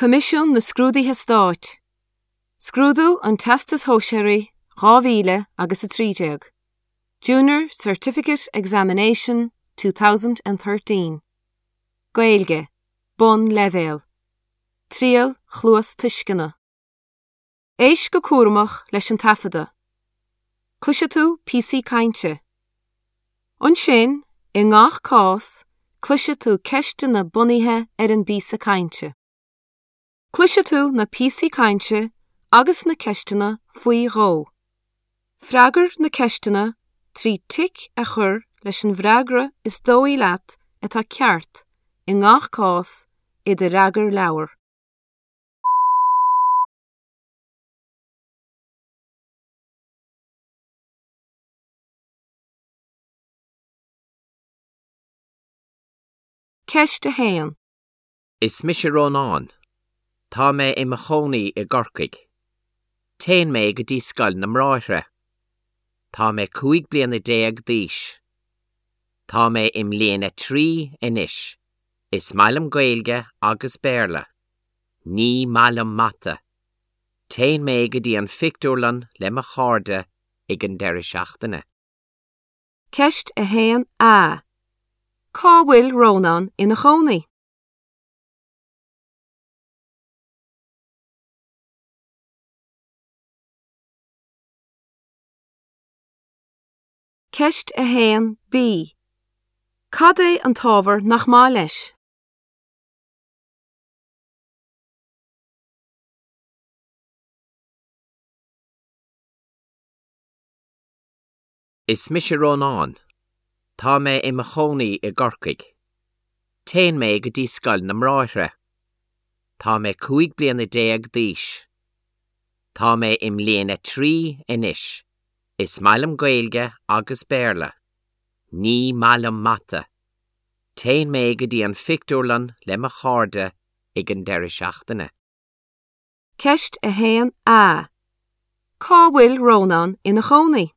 Coimisiún na Scrúduithe Stáit, Scrúdú an Teastais Shóisearaigh 2000 agus 13, Junior Certificate Examination 2013, Gaeilge, Bonnleibhéal, Triail Chluastuisceana. Éist go cúramach leis an taifeadadh. Cloisfidh tú píosaí cainte. Ansin, i ngach cás, cloisfidh tú ceisteanna bunaithe ar an bpíosa cainte. Cloisfidh tú na píosaí cainte agus na ceisteanna faoi dhó. Freagair na ceisteanna trí tic a chur leis an bhfreagra is dóigh leat atá ceart i ngach cás i do fhreagarleabhar. Ceist 1. Is mise Rónán. Tá mé i mo chónaí i gCorcaigh. Téann mé go dtí Scoil na mBráithre. Tá mé 15 bliana d'aois. Tá mé i mbliain 3 anois. Is maith liom Gaeilge agus Béarla. Ní maith liom mata. Téann mé go dtí an phictiúrlann le mo chairde ag an deireadh seachtaine. Ceist 1A. Cá bhfuil Rónán ina chónaí? Ceist 1B. Cad é an t-ábhar nach maith leis? Is mise Rónán. Tá mé i mo chónaí i gCorcaigh. Téann mé go dtí Scoil na mBráithre. Tá mé 15 bliana d'aois. Tá mé i mbliain 3 anois. Is maith liom Gaeilge agus Béarla. Ní maith liom mata. Téann mé go dtí an phictiúrlann le mo chairde ag an deireadh seachtaine. Ceist 1A. Cá bhfuil Rónán ina chónaí?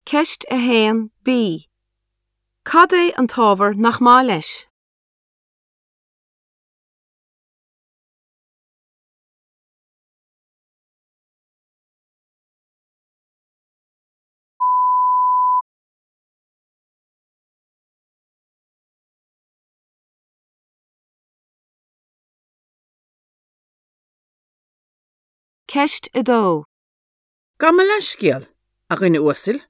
Ceist 1B. Cad é an t-ábhar nach maith leis? Ceist 2. Gabh mo leithscéal, a dhuine uasail,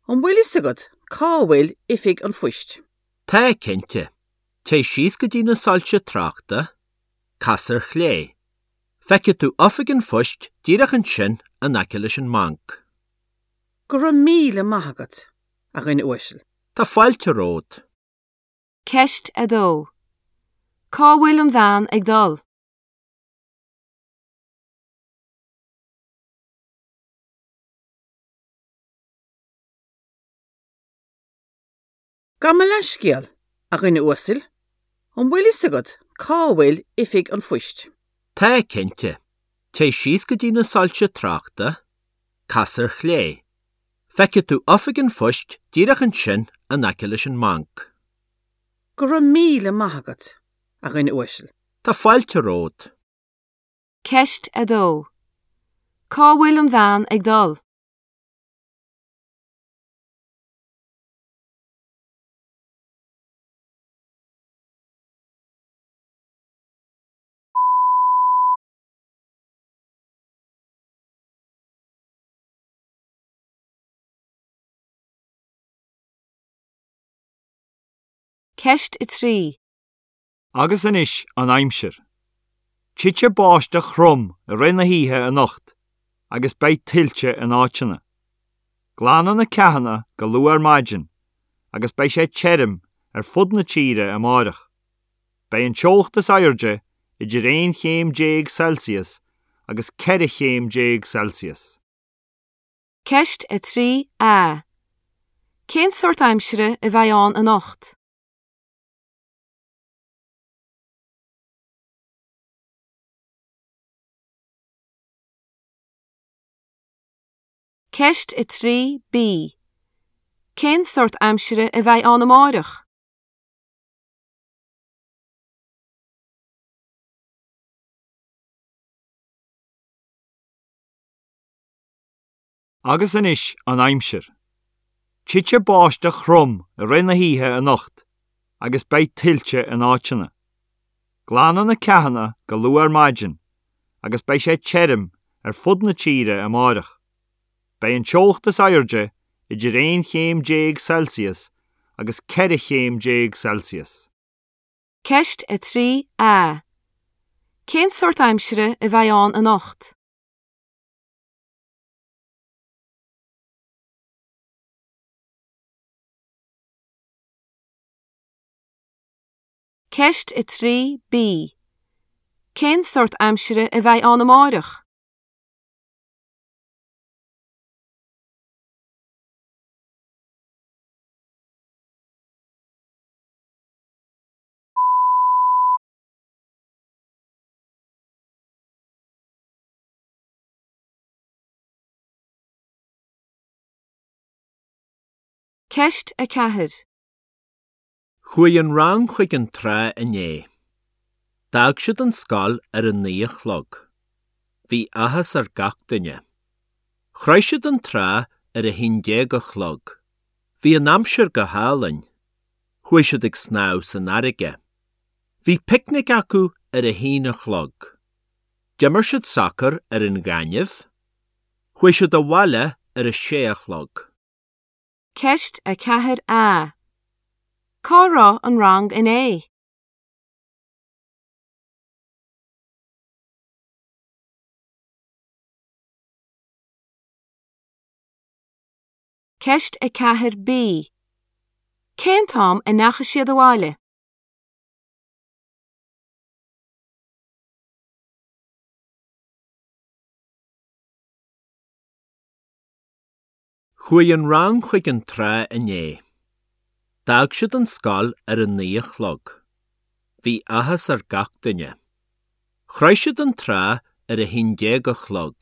an bhfuil fhios agat cá bhfuil oifig an phoist? Tá, cinnte. Téigh síos go dtí na soilse tráchta, cas ar chlé. Feicfidh tú oifig an phoist díreach ansin in aice leis an mbanc. Go raibh míle maith agat, a dhuine uasail. Tá fáilte romhat. Ceist 2. Cá bhfuil an bhean ag dul? Gabh mo leithscéal, a dhuine uasail, an bhfuil fhios agat cá bhfuil oifig an phoist? Tá, cinnte. Téigh síos go dtí na soilse tráchta, cas ar chlé. Feicfidh tú oifig an phoist díreach ansin in aice leis an mbanc. Go raibh míle maith agat, a dhuine uasail. Tá fáilte romhat. Ceist 2. Cá bhfuil an bhean ag dul? Ceist 3. Agus anois an aimsir. Titfidh báisteach throm i rith na hoíche anocht agus beidh tuilte in áiteanna. Glanfaidh na ceathanna go luath ar maidin agus beidh sé tirim ar fud na tíre amáireach. Beidh an teocht is airde idir 11 chéim Celsius agus 14 chéim Celsius. Ceist 3A. Cén sórt aimsire a bheidh ann anocht? Ceist 3B. Cén sórt aimsire a bheidh ann amárach? Agus anois an aimsir. Titfidh báisteach throm i rith na hoíche anocht agus beidh tuilte in áiteanna. Glanadh na ceathanna go luath ar maidin agus beidh sé tirim ar fud na tíre amáireach. Beidh an teocht is airde idir 11 chéim Celsius agus 14 chéim Celsius. Ceist 3A. Cén sórt aimsire a bheidh ann anocht? Ceist 3B. Cén sórt aimsire a bheidh ann amárach? Ceist 4. Chuaigh an rang chuig an trá inné. D'fhág siad an scoil ar a 9 a chlog. Bhí áthas ar gach duine. Shroich siad an trá ar a 11 a chlog. Bhí an aimsir go hálainn. Chuaigh siad ag snámh san fharraige. Bhí picnic acu ar a haon a chlog. D'imir siad sacar ar an ghaineamh. Chuaigh siad abhaile ar a sé a chlog. Ceist 4A. Cá raibh an rang inné? Ceist 4B. Cén t-am a ndeachaigh siad abhaile? Chuaigh an rang chuig an trá inné. D'fhág siad an scoil ar a 9 a chlog. Bhí áthas ar gach duine. Shroich siad an trá ar a 11 a chlog.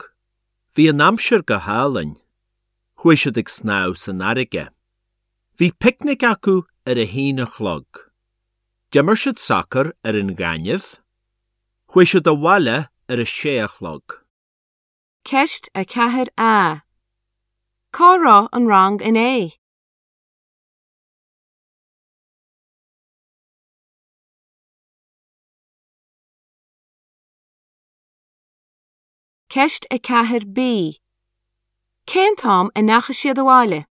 Bhí an aimsir go hálainn. Chuaigh siad ag snámh san fharraige. Bhí picnic acu ar a haon a chlog. D'imir siad sacar ar an ghaineamh. Chuaigh siad abhaile ar a sé a chlog. Ceist 4A. Cá raibh an rang inné? Ceist 4B. Cén t-am a ndeachaigh siad abhaile?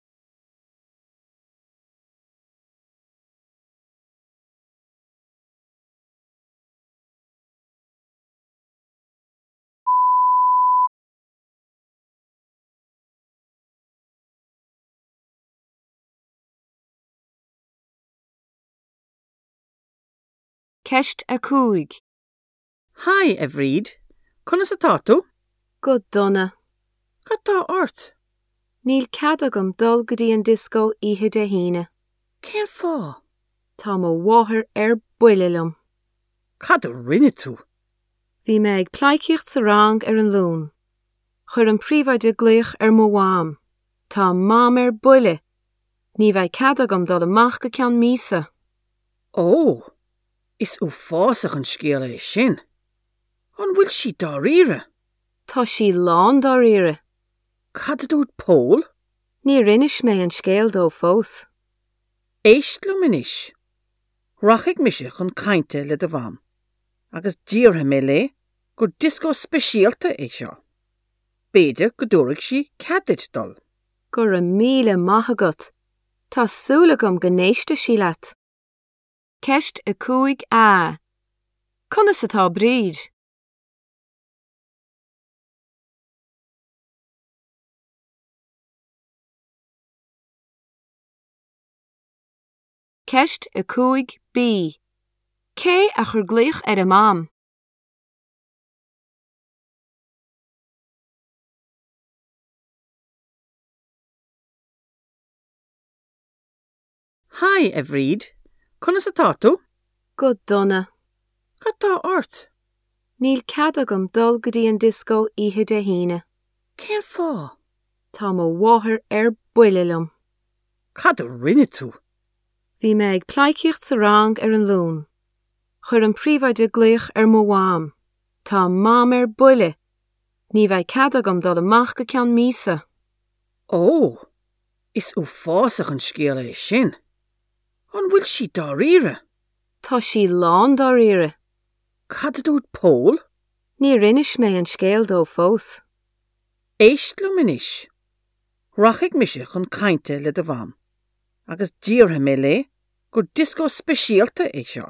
Ceist 5. Haigh, a Bhríd. Conas atá tú? Go dona. Cad tá ort? Níl cead agam dul go dtí an dioscó oíche Dé hAoine. Cén fáth? Tá mo mháthair ar buile liom. Cad a rinne tú? Bhí mé ag pleidhcíocht sa rang ar an Luan. Chuir an príomhoide glaoch ar mo mham. Tá Mam ar buile! Ní bheidh cead agam dul amach go ceann míosa. Ó! Is uafásach an scéal é sin. An bhfuil sí dáiríre? Tá sí lán dáiríre. Cad a dúirt Pól? Níor inis mé an scéal dó fós. Éist liom anois. Rachaidh mise chun cainte le do mham agus déarfaidh mé léi gur dioscó speisialta é seo. B'fhéidir go dtabharfaidh sí cead duit dul. Go raibh míle maith agat. Tá súil agam go n-éistfidh sí leat. Ceist 5A. Conas atá Bríd? Ceist 5B. Cé a chuir glaoch ar a Mam? Haigh, a Bhríd. Conas atá tú? Go dona. Cad tá ort? Níl cead agam dul go dtí an dioscó oíche Dé hAoine. Cén fáth? Tá mo mháthair ar buile liom. Cad a rinne tú? Bhí mé ag pleidhcíocht sa rang ar an Luan. Chuir an príomhoide glaoch ar mo mham. Tá Mam ar buile! Ní bheidh cead agam dul amach go ceann míosa. Ó, is uafásach an scéal é sin. An bhfuil sí dáiríre? Tá sí lán dáiríre. Cad a dúirt Pól? Níor inis mé an scéal dó fós. Éist liom anois. Rachaidh mise chun cainte le do mham agus déarfaidh mé léi gur dioscó speisialta é seo.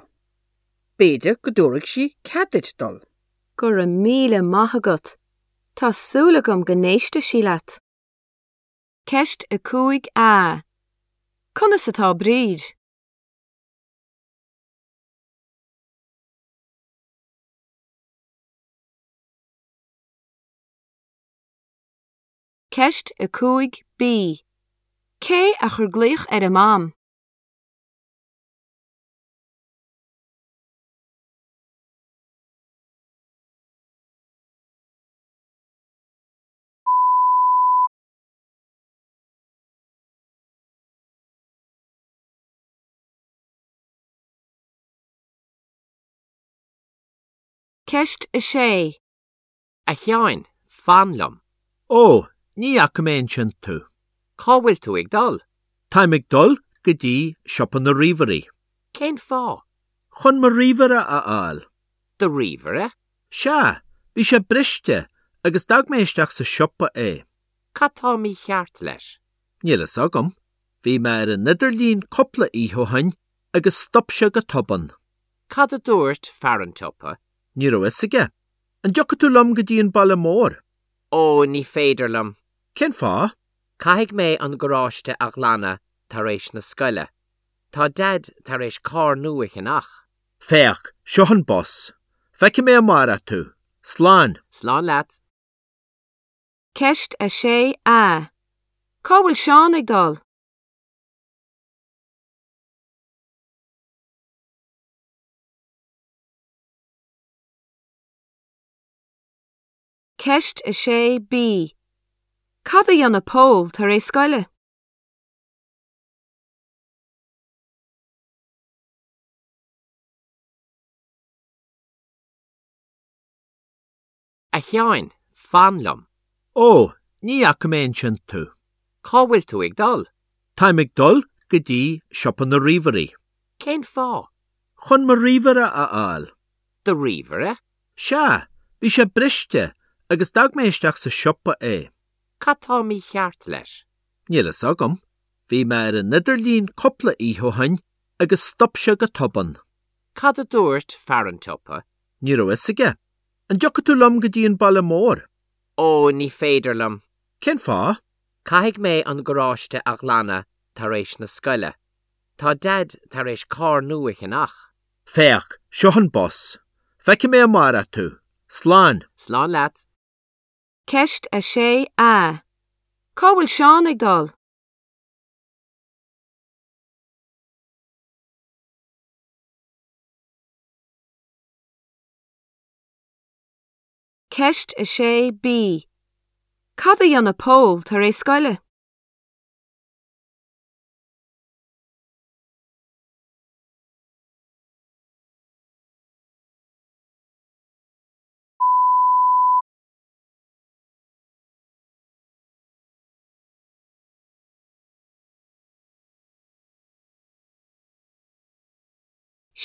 B'fhéidir go dtabharfaidh sí cead duit dul. Go raibh míle maith agat. Tá súil agam go n-éistfidh sí leat. Ceist 5A. Conas atá Bríd? Ceist 5B. Cé a chuir glaoch ar a Mam? Ceist 6. A Sheáin, fan liom. Ó, ní fhaca mé ansin tú. Cá bhfuil tú ag dul? Táim ag dul go dtí siopa na ríomhairí. Cén fáth? Chun mo ríomhaire a fháil. Do ríomhaire? Sea, bhí sé briste agus d'fhág mé isteach sa siopa é. Cad tá mícheart leis? Níl fhios agam. Bhí mé ar an idirlíon cúpla oíche ó shin agus stop sé go tobann. Cad a dúirt fear an tsiopa? Ní raibh fhios aige. An dtiocfaidh tú liom go dtí an baile mór? Ó, ní féidir liom. Cén fáth? Caithfidh mé an garáiste a ghlanadh tar éis na scoile. Tá Daid tar éis carr nua a cheannach. Féach, seo an bus. Feicfidh mé amárach tú. Slán. Slán leat. Ceist 6A. Cá bhfuil Seán ag dul? Ceist 6B. Cad a dhéanfaidh Pól tar éis scoile? A Sheáin, fan liom. Ó, ní fhaca mé ansin tú. Cá bhfuil tú ag dul? Táim ag dul go dtí siopa na ríomhairí. Cén fáth? Chun mo ríomhaire a fháil. Do ríomhaire? Sea, bhí sé briste agus d'fhág mé isteach sa siopa é. Cad tá mícheart leis? Níl fhios agam. Bhí mé ar an idirlíon cúpla oíche ó shin agus stop sé go tobann. Cad a dúirt fear an tsiopa? Ní raibh fhios aige. An dtiocfaidh tú liom go dtí an baile mór? Ó, ní féidir liom. Cén fáth? Caithfidh mé an garáiste a ghlanadh tar éis na scoile. Tá Daid tar éis carr nua a cheannach. Féach, seo an bus. Feicfidh mé amárach tú. Slán. Slán leat. Ceist 6A. Cá bhfuil Seán ag dul? Ceist 6B. Cad a dhéanfaidh Pól tar éis scoile?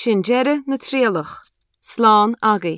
Sin deireadh na trialach. Slán agaibh.